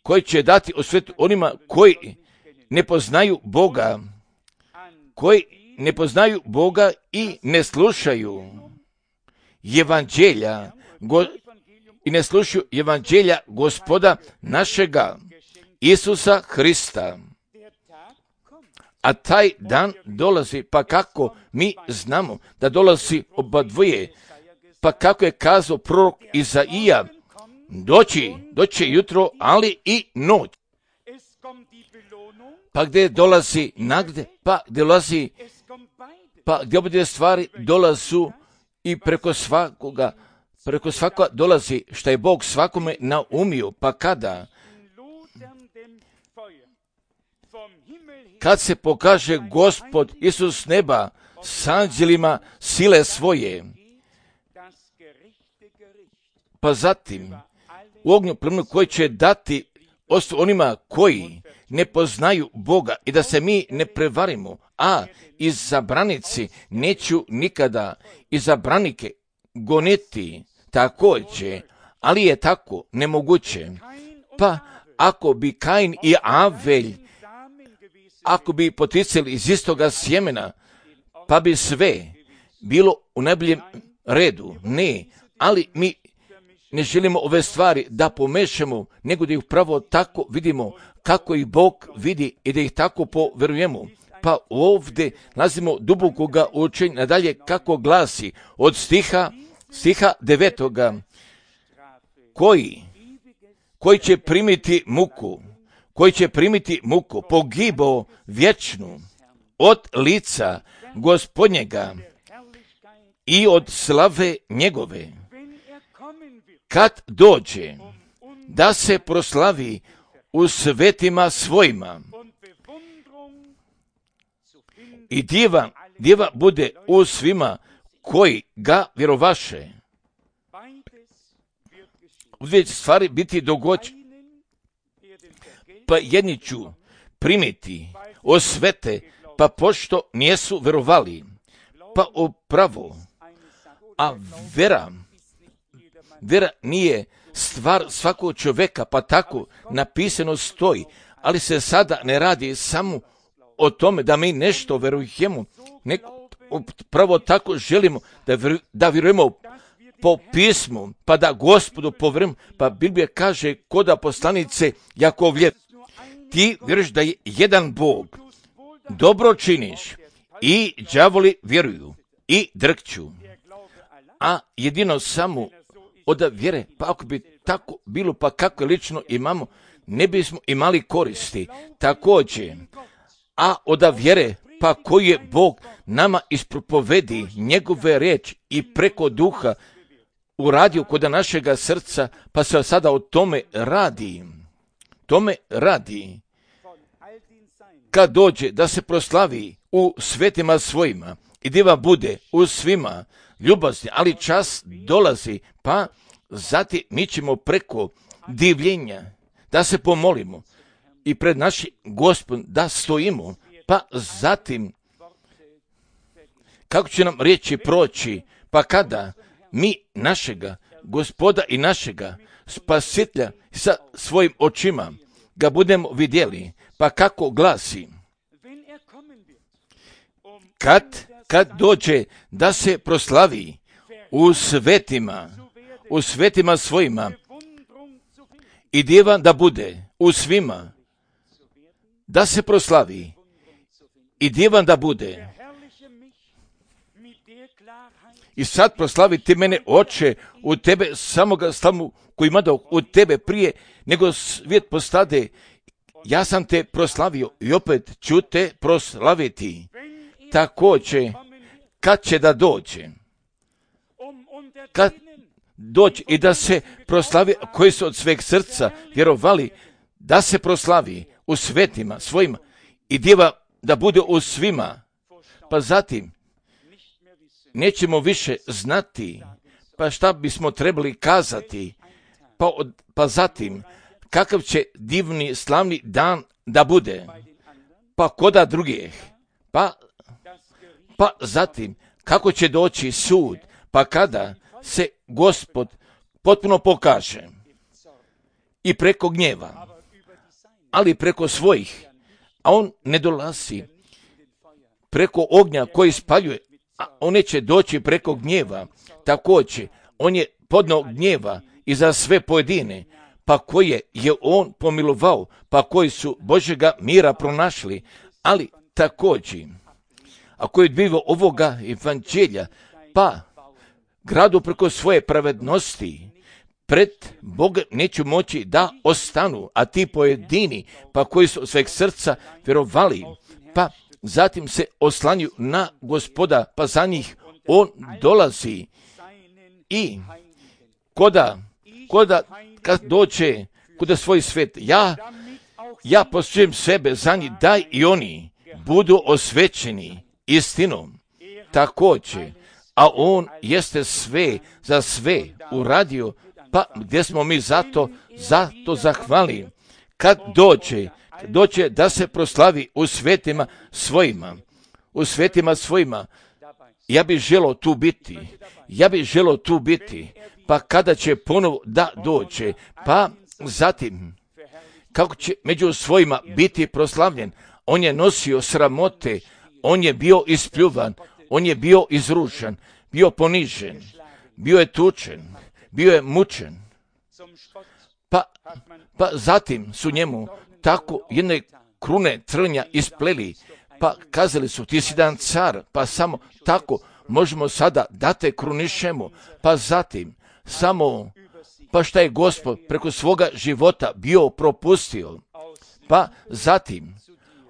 koji će dati osvetu onima koji ne poznaju Boga, koji ne poznaju Boga i ne slušaju evanđelja, go, i ne slušaju evanđelja Gospoda našega Isusa Hrista. A taj dan dolazi, pa kako mi znamo da dolazi oba dvoje, pa kako je kazao prorok Izaija, doći, doći jutro, ali i noć. Pa gdje dolazi nagrade, pa gdje dolazi, pa gdje obje stvari dolazu i preko svakoga, preko svakoga dolazi što je Bog svakome naumio, pa kada? Kad se pokaže Gospod Isus neba s anđelima sile svoje, pa zatim u ognju plamenu koji će dati ostu onima koji ne poznaju Boga i da se mi ne prevarimo, a izabranici neću nikada izabranike goniti također, ali je tako nemoguće. Pa ako bi Kain i Avelj, ako bi poticali iz istoga sjemena, pa bi sve bilo u najboljem redu. Ne, ali mi ne želimo ove stvari da pomešamo, nego da ih pravo tako vidimo kako ih Bog vidi i da ih tako povjerujemo. Pa ovdje nalazimo dubokoga učenja nadalje kako glasi od stiha, stiha devetoga, koji, koji će primiti muku, koji će primiti muku, pogibo vječnu od lica Gospodnjega i od slave njegove, kad dođe da se proslavi u svetima svojima. I djeva, djeva bude u svima koji ga vjerovaše. U dvije stvari biti dogođene. Pa jedni ću primiti osvete, pa pošto nijesu verovali, pa upravo, a vera, vera nije stvar svakog čovjeka, pa tako napisano stoji, ali se sada ne radi samo o tome da mi nešto verujemo, nego upravo tako želimo da, vjeru, da vjerujemo po pismu, pa da Gospodu povjerujemo, pa Biblija kaže kod poslanice Jakovlje, ti vjeruješ da je jedan Bog, dobro činiš i đavoli vjeruju i drkću, a jedino samo od vjere, pa ako bi tako bilo, pa kako lično imamo, ne bismo imali koristi. Također, a od vjere, pa koji je Bog nama ispropovedi njegove riječi i preko duha uradio kod našega srca, pa se sada o tome radi. Tome radi. Kad dođe da se proslavi u svetima svojima i djeva bude u svima ljubazni, ali čas dolazi, pa zatim mi ćemo preko divljenja da se pomolimo i pred našim Gospodom da stojimo, pa zatim kako će nam riječi proći, pa kada mi našega Gospoda i našega Spasitelja sa svojim očima ga budemo vidjeli, pa kako glasi, kad, kad dođe da se proslavi u svetima, u svetima svojima i djeva da bude u svima, da se proslavi i djeva da bude. I sad proslavi ti mene, Oče, u tebe samoga slavu koji ima dao u tebe prije nego svijet postade. Ja sam te proslavio i opet ću te proslaviti. Također, kad će da dođe, kad dođe i da se proslavi, koji su od sveg srca vjerovali, da se proslavi u svetima svojima i djeva da bude u svima, pa zatim nećemo više znati, pa šta bismo trebali kazati, pa, od, pa zatim kakav će divni slavni dan da bude, pa koda drugih, pa, pa zatim kako će doći sud, pa kada se Gospod potpuno pokaže i preko gnjeva, ali preko svojih, a on ne dolazi preko ognja koji spaljuje, a on neće doći preko gnjeva. Također, on je podno gnjeva i za sve pojedine, pa koje je on pomilovao, pa koji su Božjega mira pronašli, ali također, ako je odbivao ovoga evanđelja, pa gradu preko svoje pravednosti, pred Bogom neću moći da ostanu, a ti pojedini, pa koji su od sveg srca vjerovali, pa zatim se oslanju na Gospoda, pa za njih on dolazi i koda, koda kad dođe kuda svoj svet, ja, ja posujem sebe za njih, daj i oni budu osvećeni istinom. Također, a on jeste sve za sve uradio, pa gdje smo mi zato, zato zahvali. Kad dođe, dođe da se proslavi u svetima svojima, u svetima svojima, ja bih želio tu biti, ja bih želio tu biti, pa kada će ponovo da dođe, pa zatim, kako će među svojima biti proslavljen, on je nosio sramote, on je bio ispljuvan, on je bio izrušen, bio ponižen, bio je tučen, bio je mučen, pa, pa zatim su njemu tako jedne krune trnja ispleli, pa kazali su ti si jedan car, pa samo tako možemo sada da te krunišemo, pa zatim samo, pa šta je Gospod preko svoga života bio propustio, pa zatim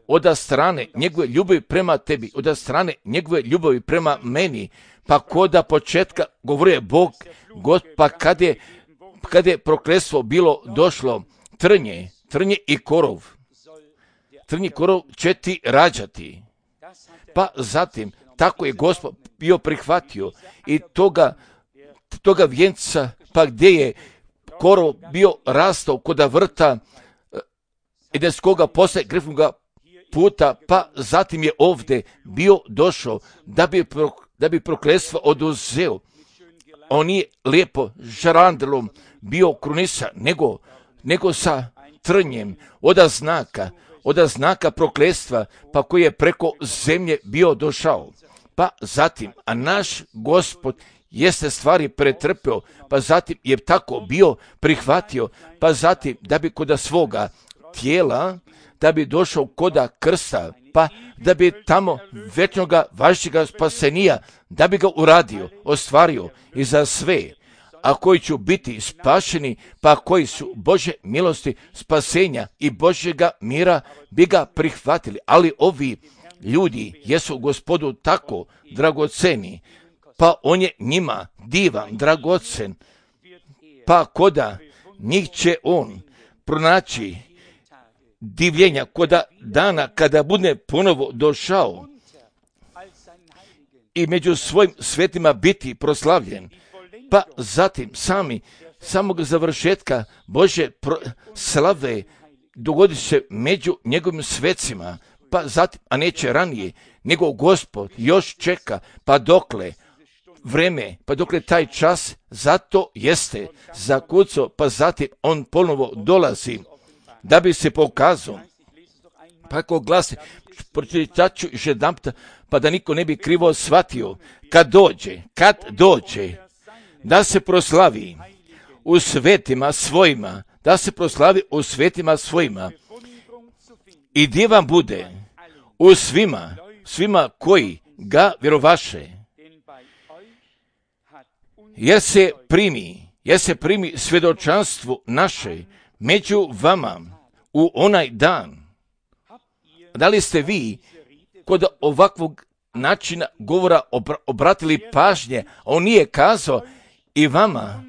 od strane njegove ljubavi prema tebi, od strane njegove ljubavi prema meni, pa koda početka govorio Bog, God, pa kad je, kad je prokletstvo bilo došlo, trnje, trnje i korov. Trnji korov će ti rađati. Pa zatim, tako je Gospod bio prihvatio i toga, toga vjenca, pa gdje je korov bio rastao koda vrta Edenskoga posle grefnoga puta, pa zatim je ovdje bio došao da bi, pro, da bi prokletstvo oduzeo. On nije lijepo žarandelom bio krunisan, nego, nego sa trnjem oda znaka, oda znaka prokletstva, pa koji je preko zemlje bio došao. Pa zatim, a naš Gospod jeste stvari pretrpeo, pa zatim je tako bio prihvatio, pa zatim da bi koda svoga tijela, da bi došao koda krsta, pa da bi tamo večnoga vašega spasenija, da bi ga uradio, ostvario i za sve, a koji će biti spašeni, pa koji su Bože milosti, spasenja i Božjega mira bi ga prihvatili. Ali ovi ljudi jesu Gospodu tako dragoceni, pa on je njima divan, dragocen, pa koda njih će on pronaći divljenja koda dana kada bude ponovo došao i među svojim svetima biti proslavljen. Pa zatim sami samog završetka Božje pro- slave dogodit se među njegovim svecima, pa zatim, a neće ranije, nego Gospod još čeka, pa dokle vreme, pa dokle taj čas, zato jeste zakucao, pa zatim on ponovo dolazi da bi se pokazao. Pa ako glasi, pročitat ću još jedanputa, pa da niko ne bi krivo shvatio, kad dođe, kad dođe, da se proslavi u svetima svojima, da se proslavi u svetima svojima i gdje vam bude u svima, svima koji ga vjerovaše, jer se primi, jer se primi svjedočanstvo naše među vama u onaj dan. Da li ste vi kod ovakvog načina govora obratili pažnje, a on nije kazao i vama,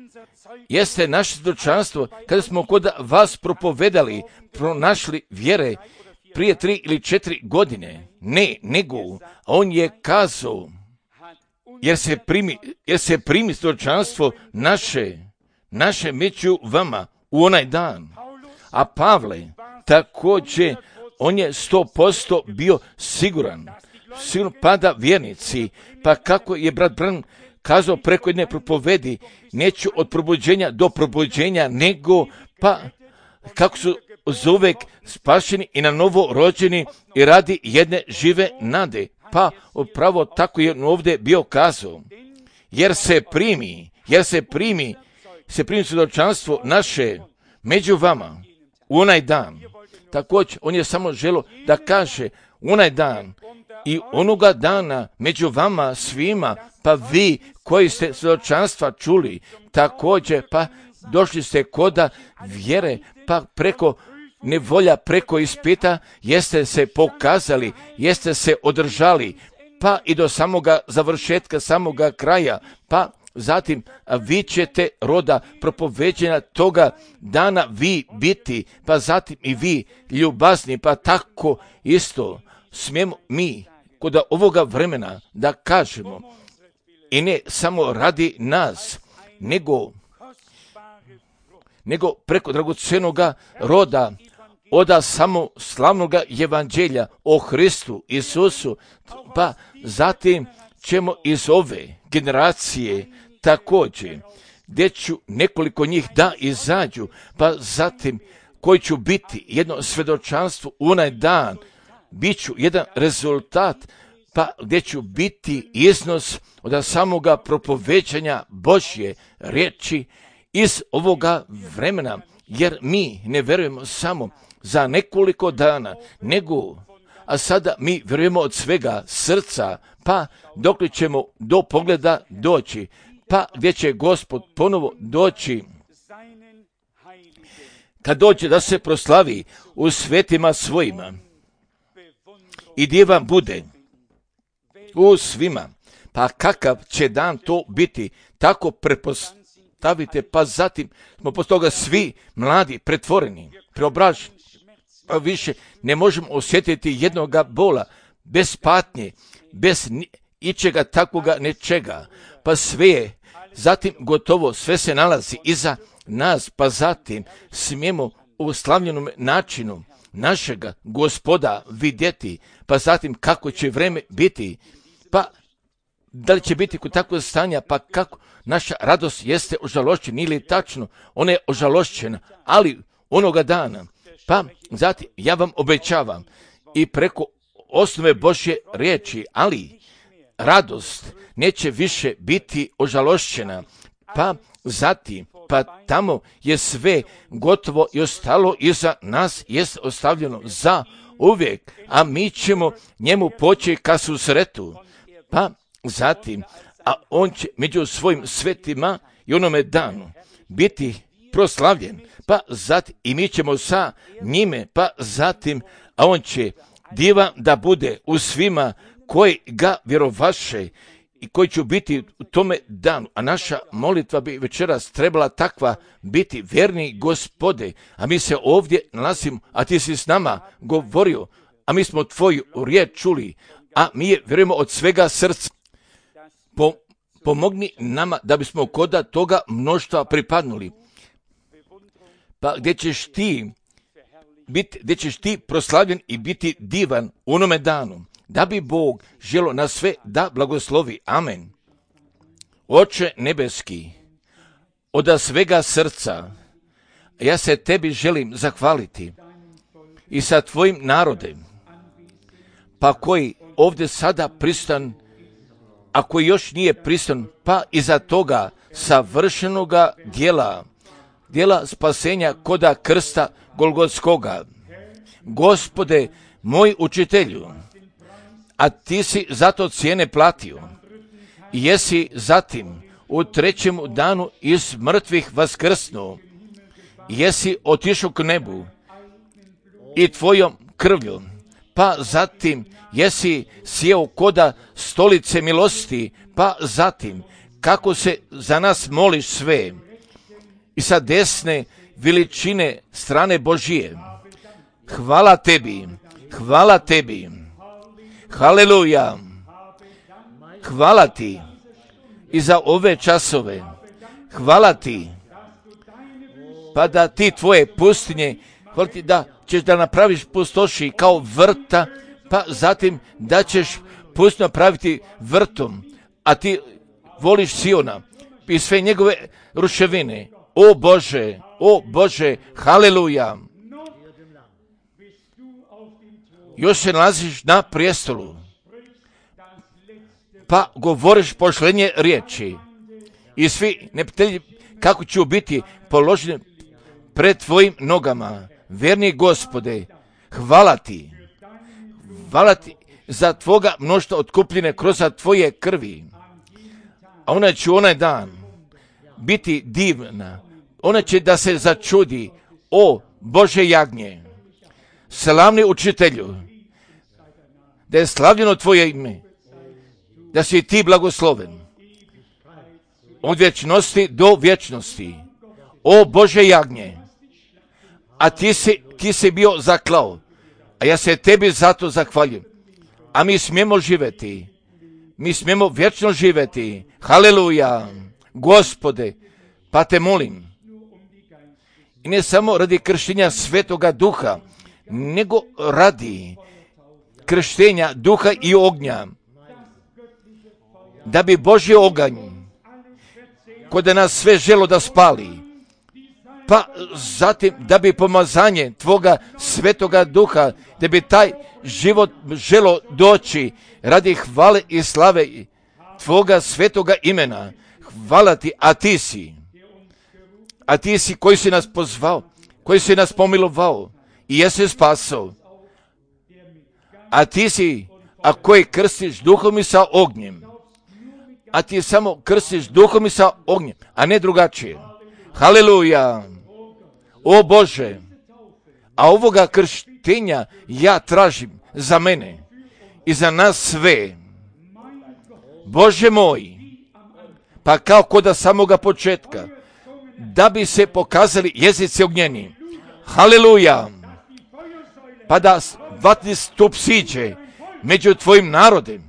jeste naše svjedočanstvo kada smo kod vas propovedali, pronašli vjere prije tri ili četiri godine. Ne, nego, on je kazao, jer se primi, jer se primi svjedočanstvo naše, naše među vama u onaj dan. A Pavle također, on je sto posto bio siguran, siguran pada vjernici, pa kako je brat Branham kazao preko jedne propovedi, neću od probuđenja do probuđenja, nego pa kako su zauvek spašeni i na novo rođeni i radi jedne žive nade. Pa upravo tako je ovdje bio kazao, jer se primi, jer se primi, se primi svjedočanstvo naše među vama u onaj dan. Također, on je samo želio da kaže u onaj dan i onoga dana među vama svima, pa vi koji ste svjedočanstva čuli, također pa došli ste koda vjere, pa preko nevolja, preko ispita, jeste se pokazali, jeste se održali, pa i do samoga završetka, samoga kraja, pa zatim vi ćete roda propoveđenja toga dana vi biti, pa zatim i vi ljubazni, pa tako isto smijemo mi kod ovoga vremena da kažemo i ne samo radi nas, nego, nego preko dragocenoga roda oda samo slavnoga evanđelja o Hristu Isusu, pa zatim ćemo iz ove generacije također, gdje ću nekoliko njih da izađu, pa zatim koji ću biti jedno svjedočanstvo u onaj dan, bit ću jedan rezultat, pa gdje ću biti iznos od samoga propoveđanja Božje riječi iz ovoga vremena, jer mi ne vjerujemo samo za nekoliko dana, nego, a sada mi vjerujemo od svega srca, pa dok li ćemo do pogleda doći, pa gdje će Gospod ponovo doći, kad dođe da se proslavi u svetima svojima i gdje vam bude u svima, pa kakav će dan to biti, tako prepos, stavite, pa zatim smo poslije toga svi mladi, pretvoreni, preobraženi. Pa više ne možemo osjetiti jednoga bola, bez patnje, bez ičega takvoga nečega. Pa sve je zatim gotovo, sve se nalazi iza nas, pa zatim smijemo u slavljenom načinu našega Gospoda vidjeti, pa zatim kako će vreme biti, pa da li će biti kod takvog stanja, pa kako naša radost jeste ožalošćena ili tačno, ona je ožalošćena, ali onoga dana, pa zatim ja vam obećavam i preko osnove Božje riječi, ali radost neće više biti ožalošćena, pa zatim, pa tamo je sve gotovo i ostalo iza nas jest ostavljeno za uvijek, a mi ćemo njemu poći ka susretu, pa zatim, a on će među svojim svetima i onome danu biti proslavljen, pa zatim i mi ćemo sa njime, pa zatim, a on će divan da bude u svima koji ga vjerovaše i koji će biti u tome danu. A naša molitva bi večeras trebala takva biti, vjerni Gospode, a mi se ovdje nalazimo, a ti si s nama govorio, a mi smo tvoju riječ čuli, a mi je vjerujemo od svega srca. Po, pomogni nama da bismo koda toga mnoštva pripadnuli. Pa gdje ćeš ti biti, gdje ćeš ti proslavljen i biti divan u onome danu, da bi Bog želo na sve da blagoslovi. Amen. Oče nebeski, od svega srca, ja se tebi želim zahvaliti i sa tvojim narodem, pa koji ovdje sada pristan, a koji još nije pristan, pa iza toga savršenoga dijela, dijela spasenja koda krsta Golgotskoga. Gospode, moj učitelju, a ti si zato cijene platio i jesi zatim u trećem danu iz mrtvih vaskrsnuo, jesi otišao k nebu i tvojom krvlju, pa zatim jesi sjeo koda stolice milosti, pa zatim kako se za nas moliš sve i sa desne veličine strane Božije. Hvala tebi, hvala tebi, haleluja, hvala ti i za ove časove, hvala ti, pa da ti tvoje pustinje, hvala ti da ćeš da napraviš pustoši kao vrta, pa zatim da ćeš pustinju napraviti vrtom, a ti voliš Siona i sve njegove ruševine. O Bože, o Bože, haleluja. Još se nalaziš na prijestolu, pa govoriš pošlenje riječi i svi neprijatelji kako će biti položeni pred tvojim nogama. Vjerni Gospode, hvala ti, hvala ti za tvoga mnoštva otkupljene kroz tvoje krvi, a ona će onaj dan biti divna, ona će da se začudi, o Bože jagnje, slavni učitelju, da je slavljeno tvoje ime, da si ti blagosloven od vječnosti do vječnosti, o Bože jagnje, a ti si, ti si bio zaklao, a ja se tebi zato zahvaljujem, a mi smijemo živjeti, mi smijemo vječno živjeti, haleluja, Gospode, pa te molim, i ne samo radi krštenja Svetoga Duha, nego radi krštenja Duha i ognja, da bi Božji oganj, kod nas sve želo da spali, pa zatim da bi pomazanje tvoga Svetoga Duha, da bi taj život želo doći radi hvale i slave tvoga svetoga imena. Hvala ti, a ti si, a ti si koji si nas pozvao, koji si nas pomilovao i jesi spasao, a ti si, a koji krstiš duhom i sa ognjem, a ti samo krstiš duhom i sa ognjem, a ne drugačije. Haleluja, o Bože, a ovoga krštenja ja tražim za mene i za nas sve. Bože moj, pa kao kod samoga početka, da bi se pokazali jezici ognjeni. Haleluja! Pa da vatni stup siđe među tvojim narodem.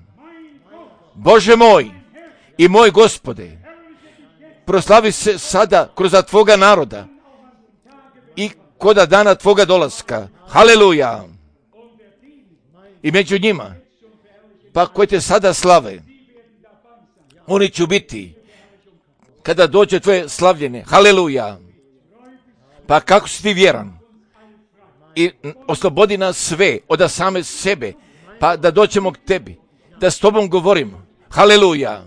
Bože moj i moj Gospode, proslavi se sada kroz tvoga naroda i koda dana tvoga dolaska. Haleluja! I među njima, pa koji te sada slave, oni će biti kada dođe tvoje slavljenje. Haleluja! Pa kako si ti vjeran i oslobodi nas sve od same sebe, pa da dođemo k tebi, da s tobom govorimo. Haleluja!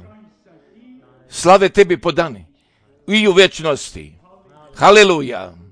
Slave tebi podani i u vječnosti. Haleluja!